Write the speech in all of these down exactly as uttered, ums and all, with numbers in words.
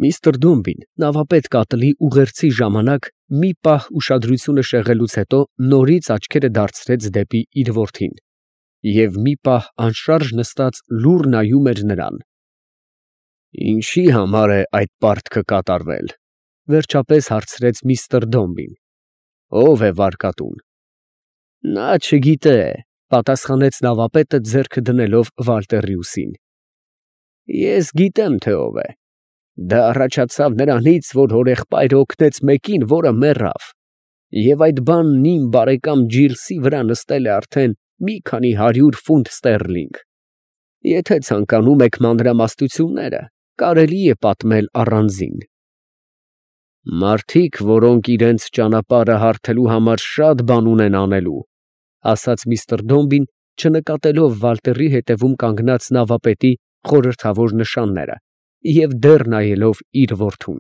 Միստր Դոմբին նավապետ կատլի ուղերձի ժամանակ մի պահ ուշադրությունը շեղելուց հետո նորից աչքերը դարձրեց դեպի իր որդին և մի պահ անշարժ նստած լուռ նայում էր նրան։ «Ինչի՞ համար է այդ պարտքը կատարվել, ֊ վերջապես հարցրեց միստր Դոմբին, ֊ ո՞վ է վարկատուն։ ֊ Նա չգիտե, ֊ պատասխանեց նավապետը, ձեռքը դնելով Վալտերի ուսին։ ֊ Ես գիտեմ, թե ով է. դա առաջացավ նրանից, որ հորեղբայրը օգնեց մեկին, որը մեռավ, և այդ բանն իմ բարեկամ Ջիլսի վրա նստել է արդեն մի քանի հարյուր ֆունտ ստերլինգ. եթե ցանկանում եք մանրամասնությունները, կարելի է պատմել առանձին։ Մարդիկ, որոնք իրենց ճանապարհը հարթելու համար շատ բան ունեն անելու, ֊ ասաց միստր Դոմբին, չնկատելով Վալտերի հետևում կանգնած նավապետի խորհրդավոր նշանները և դեռ նայելով իր որդուն,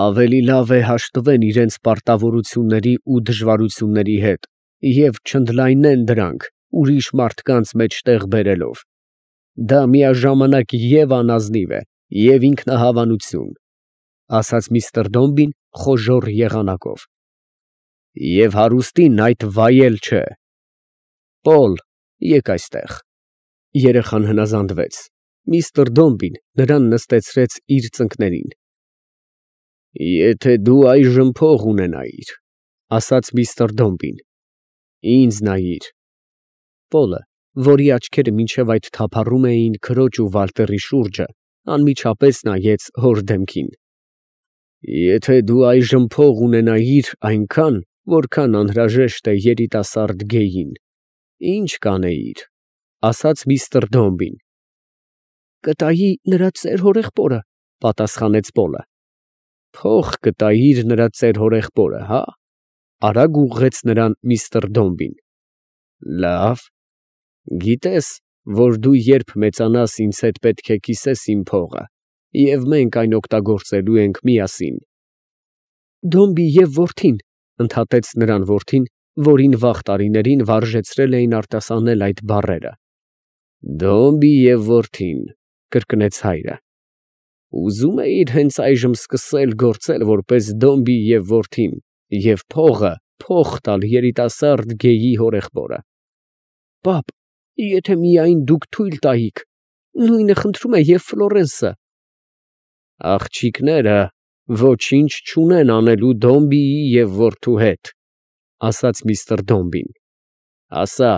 ավելի լավ է հաշտվեն իրենց պարտավորությունների ու դժվարությունների հետ և չընդլայնեն դրանք ուրիշ մարդկանց մեջ տեղ բերելով. դա միաժամանակ և անազնիվ է, և ինքնահավանություն, ֊ ասաց միստր Դոմբին խոժոռ եղանակով, ֊ և հարուստին այդ վայել չէ։ Պոլ, եկ այստեղ։ Երեխան հնազանդվեց։ Միստր Դոմբին նրան նստեցրեց իր ծնկներին։ Եթե դու այժմ փող ունենայիր, ֊ ասաց միստր Դոմբին, ֊ ինձ նայիր։ Պոլը, որի աչքերը մինչև այդ թափառում էին քրոջ ու Վալտերի շուրջը, անմիջապես նայեց հոր դեմքին։ Եթե դու այժմ փող ունենայիր այնքան, որքան անհրաժեշտ է երիտասարդ գեյին, ի՞նչ կանեիր, ֊ ասաց միստր Դոմբին։ Կտայի նրա ծեր հորեղբորը, ֊ պատասխանեց Պոլը։ Փող կտայիր նրա ծեր հորեղբորը, հա՞, ֊ արագ ուղղեց նրան միստր Դոմբին։ Լավ, գիտես, որ դու երբ մեծանաս ինձ հետ պետք է կիսես իմ փողը, և մենք այն օգտագործելու ենք միասին։ Դոմբի և որդին, ֊ ընդհատեց նրան որդին, որին վաղ տարիներին վարժեցրել էին արտասանել այդ բառերը։ Դոմբի և որդին, ֊ կրկնեց հայրը։ Ուզում էիր հենց այժմ սկսել գործել որպես Դոմբի և որդին և փողը փոխ տալ երիտասարդ գեյի հորեղբորը։ Պապ, եթե միայն դուք թույլ տայիք, նույնը խնդրում է և Ֆլորենսը։ Աղջիկները ոչինչ չունեն անելու Դոմբիի և որդու հետ, ֊ ասաց միստր Դոմբին։ Ասա,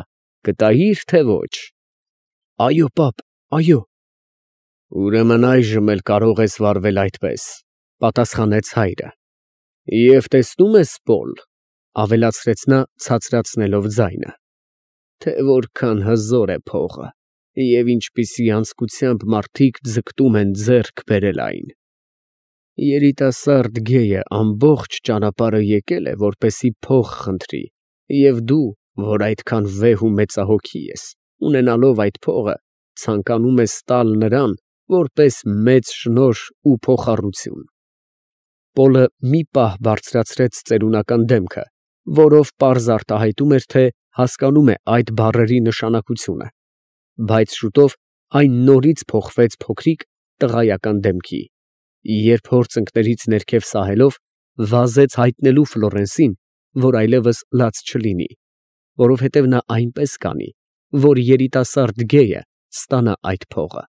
կտայի՞ր, թե ոչ։ Այո, պապ, այո։ Ուրեմն այժմ էլ կարող ես վարվել այդպես, ֊ պատասխանեց հայրը։ Եվ տեսնո՞ւմ ես, Պոլ, ֊ ավելացրեց նա ցածրացնելով ձայնը, թե որքան հզոր է փողը և ինչպիսի անձկությամբ մարդիկ ձգտում են ձեռք բերել այն։ Երիտասարդ գեյը ամբողջ ճանապարհը եկել է, որպեսզի փող խնդրի, և դու, որ այդքան վեհ ու մեծահոգի ես, ունենալով այդ փողը, ցանկանում ես տալ նրան որպես մեծ շնորհ ու փոխառություն։ Պոլը մի պահ բարձրացրեց ծերունական դեմքը, որով պարզ արտահայտում էր, թե հասկանում է այդ բառերի նշանակությունը, բայց շուտով այն նորից փոխվեց փոքրիկ տղայական դեմքի, երբ հոր ծնկներից ներքև սահելով, վազեց հայտնելու Ֆլորենսին, որ այլևս լաց չլինի, որովհետև նա այնպես կանի, որ երիտասարդ գեյը ստանա այդ փողը։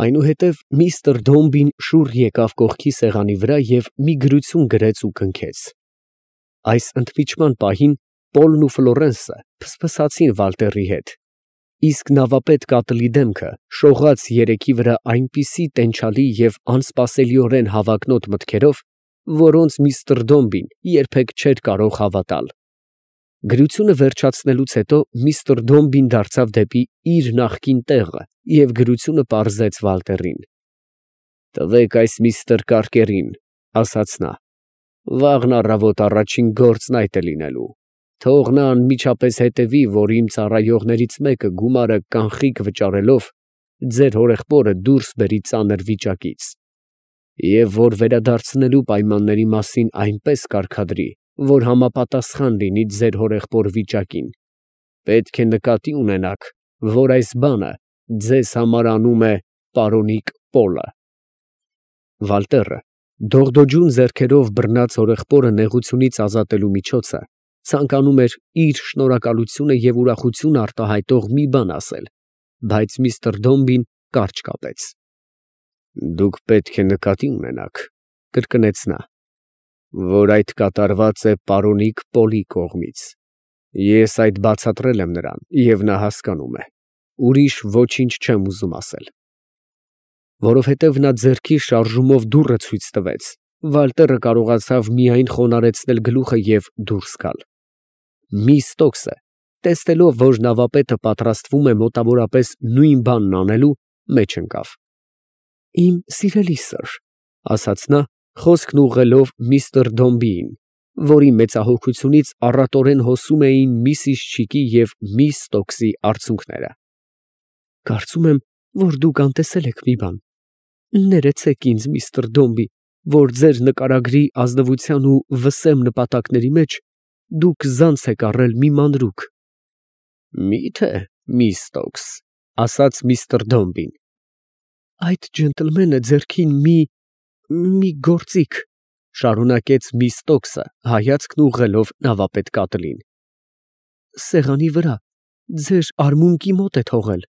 Այնուհետև միստր Դոմբին շուռ եկավ կողքի սեղանի վրա և մի գրություն գրեց ու կնքեց։ Այս ընդմիջման պահին Պոլն ու Ֆլորենսը ֆսֆսացին Վալտերի հետ, իսկ նավապետ կատլի դեմքը շողաց երեքի վրա այնպիսի տենչալի և անսպասելիորեն հավակնոտ մտքերով, որոնց միստր Դոմբին երբեք չէր կարող հավատալ։ Գրությունը վերջացնելուց հետո միստր Դոմբին դարձավ դեպի իր նախկին տեղը և գրությունը պարզեց Վալտերին։ Տվեք այս միստր Կարկերին, ֊ ասաց նա, ֊ վաղն առավոտ առաջին գործն այդ է լինելու, թող նա անմիջապես հետևի, որ իմ ծառայողներից մեկը գումարը կանխիկ վճարելով ձեր հորեղբորը դուրս բերի ծանր վիճակից, և որ վերադարձնելու պայմանների մասին այնպես կարգադրի, որ համապատասխան լինի ձեր հորեղբոր վիճակին։ Պետք է նկատի ունենաք, որ այս բանը ձեզ համար անում է պարոնիկ Պոլը։ Վալտերը, դողդոջուն ձեռքերով բռնած հորեղբորը նեղությունից ազատելու միջոցը, ցանկանում էր իր շնորհակալությունը և ուրախությունը արտահայտող մի բան ասել, բայց միստր Դոմբին կարճ կապեց։ «Դուք պետք է նկատի ունենաք, ֊ կրկնեց նա, ֊ որ այդ կատարված է պարոնիկ Պոլի կողմից։ Ես այդ բացատրել եմ նրան, և նա հասկանում է, ուրիշ ոչինչ չեմ ուզում ասել»։ Որովհետև նա ձեռքի շարժումով դուռը ցույց տվեց, Վալտերը կարողացավ միայն խոնարհեցնել գլուխը և դուրս գալ։ Միս Ստոքսը, տեսնելով, որ նավապետը պատրաստվում է մոտավորապես նույն բանն անելու, մեջ ընկավ։ «Իմ սիրելի սըր, ֊ ասաց նա, խոսքն ուղղելով միստր Դոմբիին, որի մեծահոգությունից առատորեն հոսում էին միսիս Չիկի և միս Ստոքսի արցունքները, ֊ կարծում եմ, որ դուք անտեսել եք մի բան. ներեցեք ինձ, միստր Դոմբի, որ ձեր նկարագրի ազնվության ու վսեմ նպատակների մեջ դուք ձանձ եք առել մի մանրուք»։ «Մի՞թե, միս Ստոքս, ֊ ասաց միստր Դոմբին։ ֊ Այդ ջենտլմենը ձեռքին մի… մի գործիք, ֊ շարունակեց միս Ստոքսը, հայացքն ուղղելով նավապետ կատլին, ֊ սեղանի վրա, ձեր արմունկի մոտ է թողել։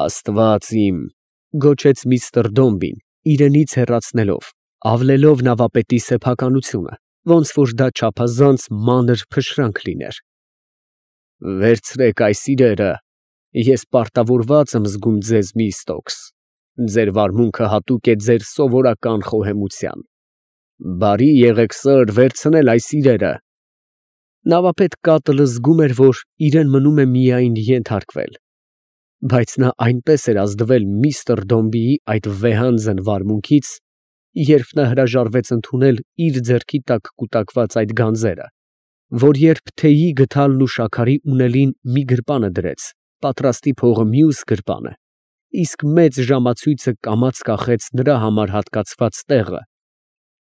«Աստված իմ, ֊ գոչեց միստր Դոմբին, իրենից հեռացնելով, ավլելով նավապետի սեփականությունը, ոնց որ դա չափազանց մանր փշրանք լիներ։ ֊ Վերցրեք այս իրերը, ես պարտավորված եմ զգում ձեզ, միս Ստոքս, ձեր վարմունքը հատուկ է ձեր սովորական խոհեմության։ Բարի եղեք, սըր, վերցնել այս իրերը։ Նավապետ կատլը զգում էր, որ իրան մնում է միայն ենթարկվել, բայց նա այնպես էր ազդվել միստր Դոմբիի այդ վեհանձն վարմունքից, երբ նա հրաժարվեց ընդունել իր ձեռքի տակ կուտակված այդ գանձերը, որ երբ թեյի գդալն ու շաքարի ունելին մի գրպանը դրեց, պատրաստի փողը մյուս գրպանը, իսկ մեծ ժամացույցը կամաց կախեց նրա համար հատկացված տեղը,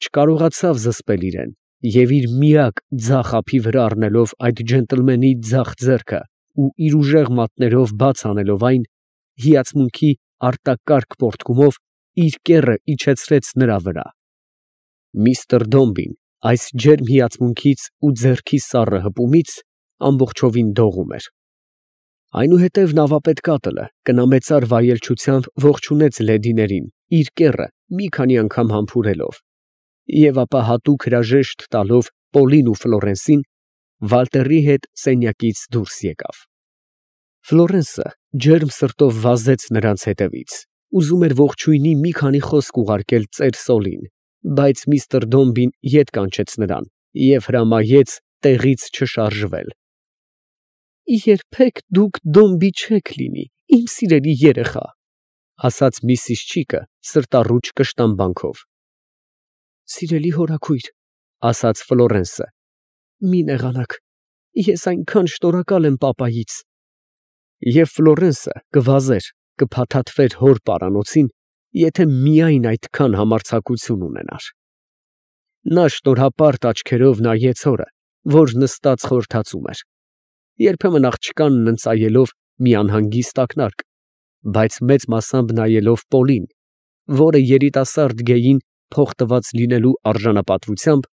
չկարողացավ զսպել իրան և իր միակ ձախ ափի վրա առնելով այդ ջենտլմենի ձախ ձեռքը ու իր ուժեղ մատներով բաց անելով այն, հիացմունքի արտակարգ պոռթկումով իր կեռը իջեցրեց նրա վրա։ Միստր Դոմբին այս ջերմ հիացմունքից ու ձեռքի սառը հպումից ամբողջովին դողում էր։ Այնուհետև նավապետ կատլը կնամեծար վայելչությամբ ողջունեց լեդիներին, իր կեռը մի քանի անգամ համբուրելով, և ապա հատուկ հրաժեշտ տալով Պոլին ու Ֆլորենսին, Վալտերի հետ սենյակից դուրս եկավ։ Ֆլորենսը ջերմ սրտով վազեց նրանց հետևից, ուզում էր ողջույնի մի քանի խոսք ուղարկել ծեր Սոլին, բայց միստր Դոմբին ետ կանչեց նրան և հրամայեց տեղից չշարժվել։ «Երբեք դուք Դոմբի չեք լինի, իմ սիրելի երեխա, ֊ ասաց միսիս Չիկը սրտառուչ կշտամբանքով։ ֊ Սիրելի հորաքույր, ֊ ասաց Ֆլորենսը, ֊ մի նեղանաք, ես այնքան շնորհակալ եմ պապայից։ Եվ Ֆլորենսը կվազեր, կփաթաթվեր հոր պարանոցին, եթե միայն այդքան համարձակություն ունենար։ Նա շնորհապարտ աչքերով նայեց հորը, որ նստած խորհրդածում էր, երբեմն աղջկանն ընծայելով մի անհանգիստ ակնարկ, բայց մեծ մասամբ նայելով Պոլին, որը երիտասարդ գեյին փող տված լինելու արժանապատվությամբ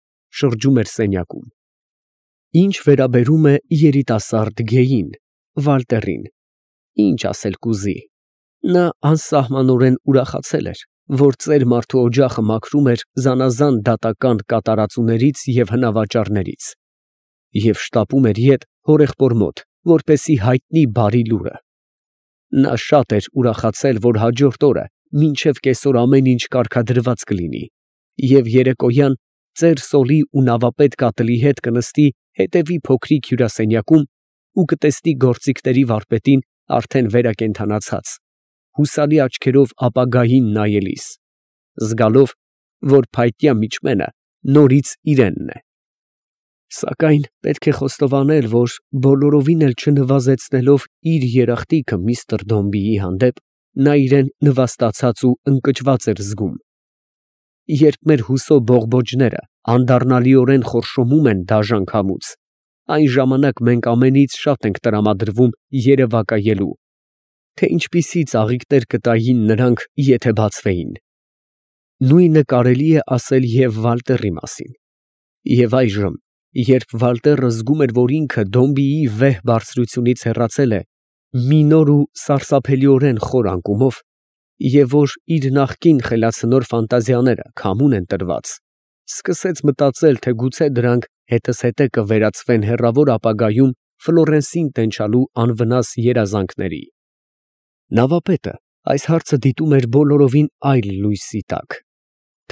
շրջում էր սենյակում։ Ինչ վերաբերում է երիտասարդ գեյին, Վալտերին, ինչ ասել կուզի, նա անսահմանորեն ուրախացել էր, որ ծեր֊մարդու օջախը մաքրում էր զանազան դատական կատարածուներից և հնավաճառներից, և շտապում էր ետ հորեղբոր մոտ, որպեսզի հայտնի բարի լուրը։ Նա շատ էր ուրախացել, որ հաջորդ օրը մինչև կեսօր ամեն ինչ կարգադրված կլինի, և երեկոյան ծեր Սոլի ու նավապետ կատլի հետ կնստի հետևի փոքրիկ հյուրասենյակում ու կտեսնի գործիքների վարպետին արդեն վերակենդանացած, հուսալի աչքերով ապագային նայելիս, զգալով, որ փայտյա միջմենը նորից իրենն է։ Սակայն պետք է խոստովանել, որ բոլորովին էլ չնվազեցնելով իր երախտիկը միստր Դոմբիի հանդեպ, նա իրան նվաստացած ու ընկճված էր զգում։ Երբ մեր հուսո բողբոջները անդառնալիորեն խորշոմում են դաժան քամուց, այն ժամանակ մենք ամենից շատ ենք տրամադրվում երևակայելու, թե ինչպիսի ծաղիկներ կտային նրանք, եթե բացվեին։ Նույնը կարելի է ասել և Վալտերի մասին։ Եվ այժմ, երբ Վալտերը զգում էր, որ ինքը Դոմբիի վեհ բարձրությունից հեռացել է մի նոր ու սարսափելիորեն խոր անկումով, և որ իր նախկին խելացնոր ֆանտազիաները քամուն են տրված, սկսեց մտածել, թե գուցե դրանք հետզհետե կվերածվեն հեռավոր ապագայում Ֆլորենսին տենչալու անվնաս երազանքների։ Նավապետը այս հարցը դիտում էր բոլորովին այլ լույսի տակ.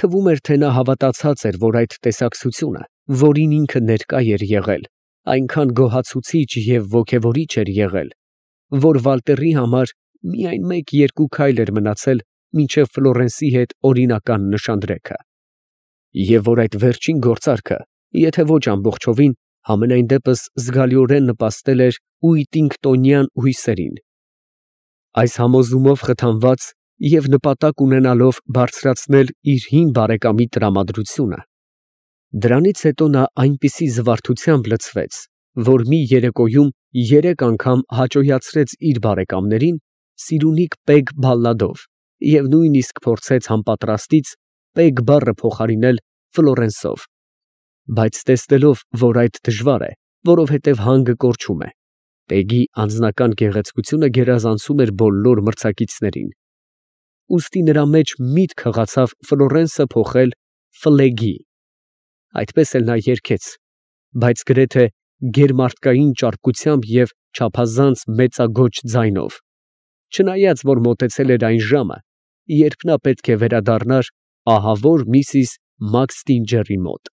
թվում էր, թե նա հավատացած էր, որ այդ տեսակցությունը, որին ինքը ներկա էր եղել, այնքան գոհացուցիչ և ոգևորիչ էր եղել, որ Վալտերի համար միայն մեկ֊երկու քայլ էր մնացել մինչև Ֆլորենսի հետ օրինական նշանдрեքը, և որ այդ վերջին գործարքը, եթե ոչ ամբողջովին, համենայն դեպս զգալիորեն նպաստել էր ուիտինգտոնյան հույսերին։ Այս համոզումով խթանված և նպատակ ունենալով բարձրացնել իր հին բարեկամի տրամադրությունը, դրանից հետո նա այնպիսի զվարթությամբ լցվեց, որ մի երեկոյում երեք անգամ հաճոյացրեց իր բարեկամներին սիրունիկ Պեգ֊Բալլադով և նույնիսկ փորձեց անպատրաստից Պեգ բառը փոխարինել Ֆլորենսով, բայց տեսնելով, որ այդ դժվար է, որովհետև հանգը կորչում է, Պեգի անձնական գեղեցկությունը գերազանցում էր բոլոր մրցակիցներին, ուստի նրա մեջ միտք հղացավ Ֆլորենսը փոխել Ֆլեգի. այդպես էլ նա երգեց, բայց գրեթե գերմարդկային ճարպկությամբ և չափազանց մեծագոչ ձայնով, չնայած որ մոտեցել էր այն ժամը, երբ նա պետք է վերադառնար ահավոր Միսիս Մաքստինջերի մոտ։